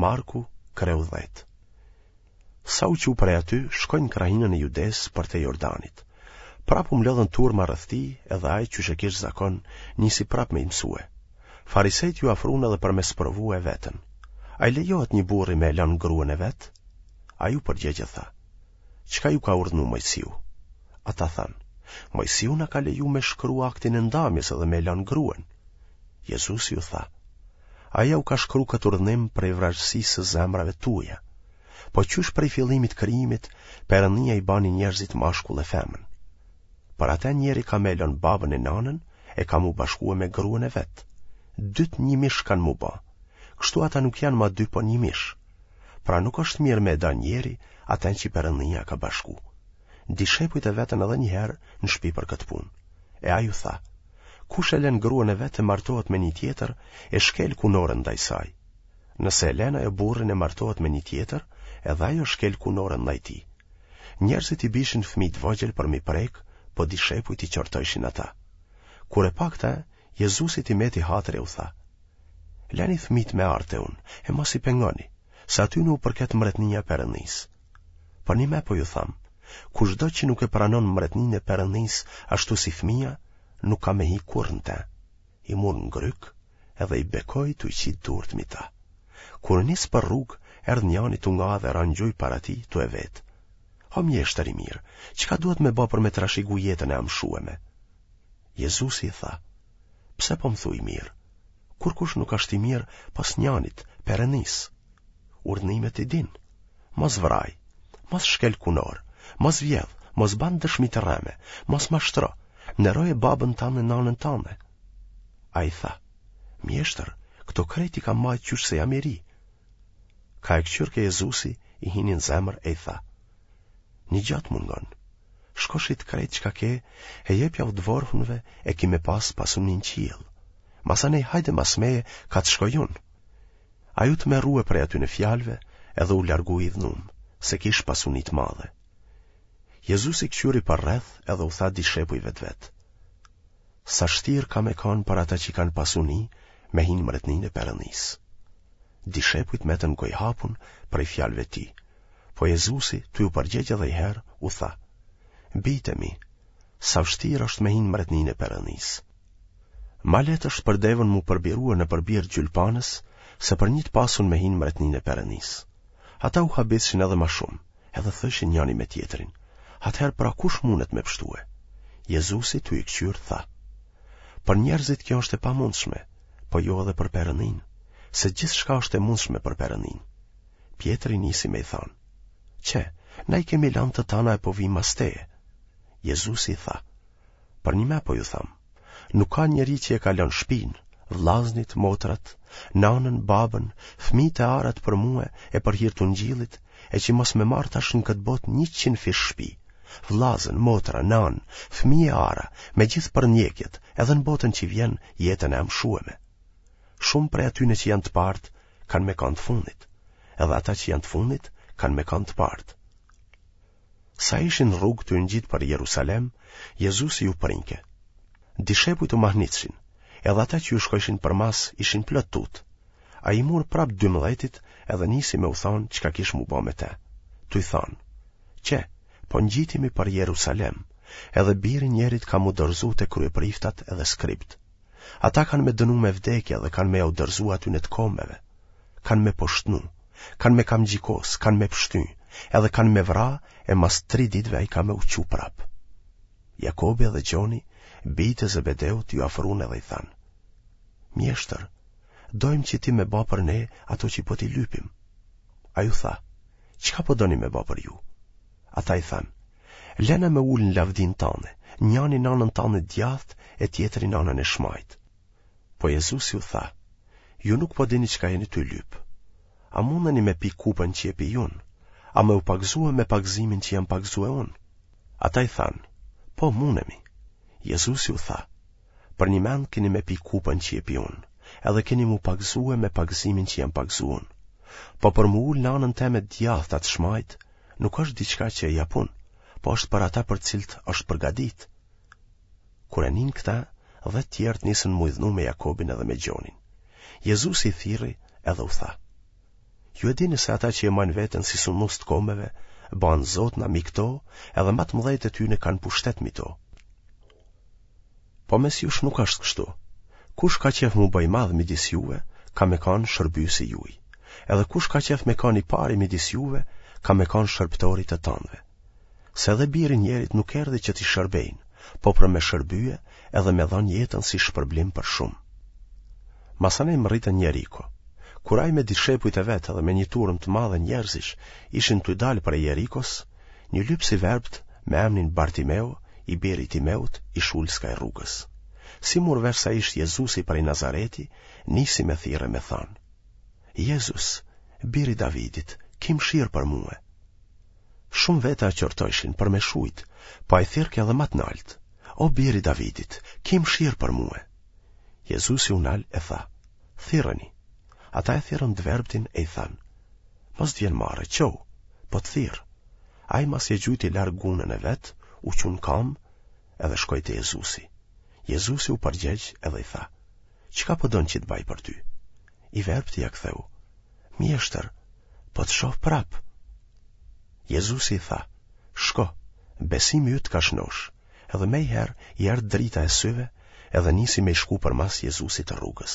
Marku, kreu 10. Sa u çu prej aty, shkoi në krahinën e Judesë përtej Jordanit. Prapë u mblodhën turma rreth tij, edhe ai, qysh e kish zakon, nisi prapë me i mësue. Farisejtë iu afrun edhe për me sprovue e vetën. A i lejohet një burri me e lënë gruen e vet? Ai u përgjegj e tha, Çka ju ka urdhnu Mojsiu? Ata thanë, Mojsiu na ka leju me shkru aktin e ndamjes edhe me e lënë gruen. Jezusi u tha, Ai jau ka shkru këtë urdhnim prej vrazhdësisë së zemrave tuaja. Po qysh prej fillimit krijimit, Perëndia i bani njerëzit mashkull e femën. Për atë njeri ka me e lënë babën e nanën e ka m'u bashkue me gruen e vet. Dytë një mish kanë m'u ba. Kështu ata nuk janë ma dy po një mish. Pra nuk është mirë me e da njeri atë që Perëndia ka bashku. Dishepujt e vetën edhe një herë në shpi për këtë punë. E ai u tha, Kush e lën gruan e vet e martohet me një tjetër, e shkel kunorën ndaj saj. Nëse e lën ajo burrin e martohet me një tjetër, edhe ajo shkel kunorën ndaj tij. Njerëzit i bijshin fëmijë të vogjël për m'i prek, po dishepujt i qortojshin ata. Kur e pa këtë, Jezusit i meti hatri e u tha: Leni fëmijët me ardh te unë, e mos i pengoni, se atyne u përket mbretnia e Perëndisë. Përnjëme po ju tham, kushdo që nuk e pranon mbretninë e Perëndisë ashtu si fëmija, nuk ka me hi kurrë në te. I mur në grykë edhe i bekoi tu i qitë durt mi ta. Kur nis për rrugë, erdh njani tu nga dhe ra në gjuj para tij tu e vetë. O mjeshtër i mirë, çka duhet me ba për me trashigu jetën e amshueme? Jezusi i tha, pse po më thu i mirë? Kurkush nuk është i mirë pos njanit, Perëndisë. Urdhnimet i din. Mos vraj, mos shkel kunorë, mos vjedh, mos ban dëshmi të rreme, mos mashtro, nderoje babën tand e nanën tande. Ai tha, mjeshtër, këto krejt i kam majtë qysh se jam i ri. Ka e këqyrke Jezusi, i hini në zemër e i tha, një gja të mungon, shko shit krejt çka ke e jepjau të vorfnëve e ki me pas pasuni në qiell. Masanej hajde mas meje ka të shkoj unë. Ai u tmerrue prej atyne fjalëve edhe u largu i idhnum, se kish pasuni të madhe. Jezusi këqyri përreth edhe u tha dishepujve të vet. Sa shtirë ka me kanë për ata që kanë pasuni me hi në mbretninë e Perëndisë. Dishepujt metën gojëhapun prej fjalëve të tij. Po Jezusi, tu iu përgjegj edhe një herë, u tha: Bijtë e mi, sa vështirë është me hi në mbretninë e Perëndisë. Ma lehtë është për devën m'u përbirue nëpër birë gjylpanës, se për një të pasun me hi në mbretninë e Perëndisë. Ata u habitshin edhe ma shumë, edhe thojshin njani me tjetrin, atëherë pra kush mundet me pshtue? Jezusi tu i këqyrë tha, Për njerëzit kjo është e pamundshme, po jo edhe për Perëndinë, se gjithçka është e mundshme për Perëndinë. Pjetri nisi me i thanë, Qe, na i kemi lanë të tana e po vijmë mas teje. Jezusi i tha, Përnjëme po ju tham, nuk ka njeri që e ka lënë shpinë, vllaznit, motrat, nanën, babën, fëmijët e arat për mue e për hir të ungjillit, e që mos me marrë tash në këtë botë 100 fish shpi, vllazën, motra, nanë, fëmijë e ara, me gjithë përndjekjet, edhe në botën që vjen jetën e amshueme. Shumë prej atyne që janë të partë, kanë me kanë të fundit, edhe ata që janë të fundit, kanë me kanë të partë. Sa ishin në rrugë tu u ngjitë për Jerusalem, Jezusi ju prinke. Dishepujt u mahnitshin, edhe ata që ju shkojshin përmas ishin plot tutë. Ai i mur prapë dymdhetit edhe nisi me u thanë çka kish m'u ba me te. Tu i thanë, qe, po ngjitemi për Jerusalem, edhe biri i njerit ka m'u dorëzu te kryepriftat edhe skribët. Ata kanë me dënu me vdekje dhe kanë me jau dorëzu atyne të kombeve. Kanë me poshtnu, kanë me kamxhikos, kanë me pshty, edhe kanë me vra e mas tri ditëve ai ka me u çu prapë. Jakobi edhe Gjoni, bijtë e Zebedeut, iu afrun edhe i thanë. Mjeshtër, dojmë që ti me ba për ne ato që po t'i lypim. Ai u tha, çka po doni me ba për ju? Ata i thanë, lena me u ulë në lavdinë tane, njani n'anën tane djathtë e tjetri n'anën e shmajtë. Po Jezusi u tha, ju nuk po dini çka jeni tu lyp. A mundeni me pi kupën që e pi unë? A me u pagëzue me pagëzimin që jam pagëzue unë? Ata i thanë, po mundemi. Jezusi u tha, përnjëmend keni me pi kupën që e pi unë, edhe keni m'u pagëzue me pagëzimin që jam pagëzu unë. Po për m'u ulë në anën teme djathtë a të shmajtë, nuk është diçka që e jap unë, po është për ata për të cilët është përgatit. Kur e ninë këta, dhe të tjerët nisën m'u idhnu me Jakobin edhe me Gjonin. Jezusi i thirri edhe u tha. Ju e dini se ata që e majnë veten si sunmus të kombeve, bahen zotna mi këto, edhe ma të mëdhejtë e tyne kanë pushtet mi to. Po mes jush nuk është kështu. Kush ka qef m'u ba i madh midis juve, ka me kanë shërbyesi juj. Edhe kush ka qef me kanë i pari midis juve, ka me kanë shërbëtori i të tanëve. Se edhe biri i njerit nuk erdhi që t'i shërbejnë, po për me shërbye edhe me dhanë jetën si shpërblim për shumë. Masanej mrritën n'Jeriko. Kur ai me dishepujt e vet edhe me një turmë të madhe njerëzish ishin tu dalë prej Jerikos, një lypës i verbtë me emnin Bartimeu, i biri i Timeut, ish ulë skaj rrugës. Si mur vesh se ish Jezusi prej Nazareti, nisi me thirrë e me thanë: Jezus, bir i Davidit, ki mëshirë për mue. Shumë veta e qortojshin për me shujt, po ai thirrke edhe ma të naltë: O bir i Davidit, ki mëshirë për mue. Jezusi u nal e tha: Thirreni. Ata e thirrën të verbtin e i thanë: Mos të vjen marre, çohu, po të thirr. Ai masi e gjujti larg gunën e vet, u çu në kamë edhe shkoi te Jezusi. Jezusi u përgjegj edhe i tha: Çka po don që të baj për ty? I verbti ia ktheu: Mjeshtër, po të shoh prapë. Jezusi i tha: Shko, besimi yt të ka shnosh. Edhe menjëherë i erdh drita e syve edhe nisi me i shku përmas Jezusit rrugës.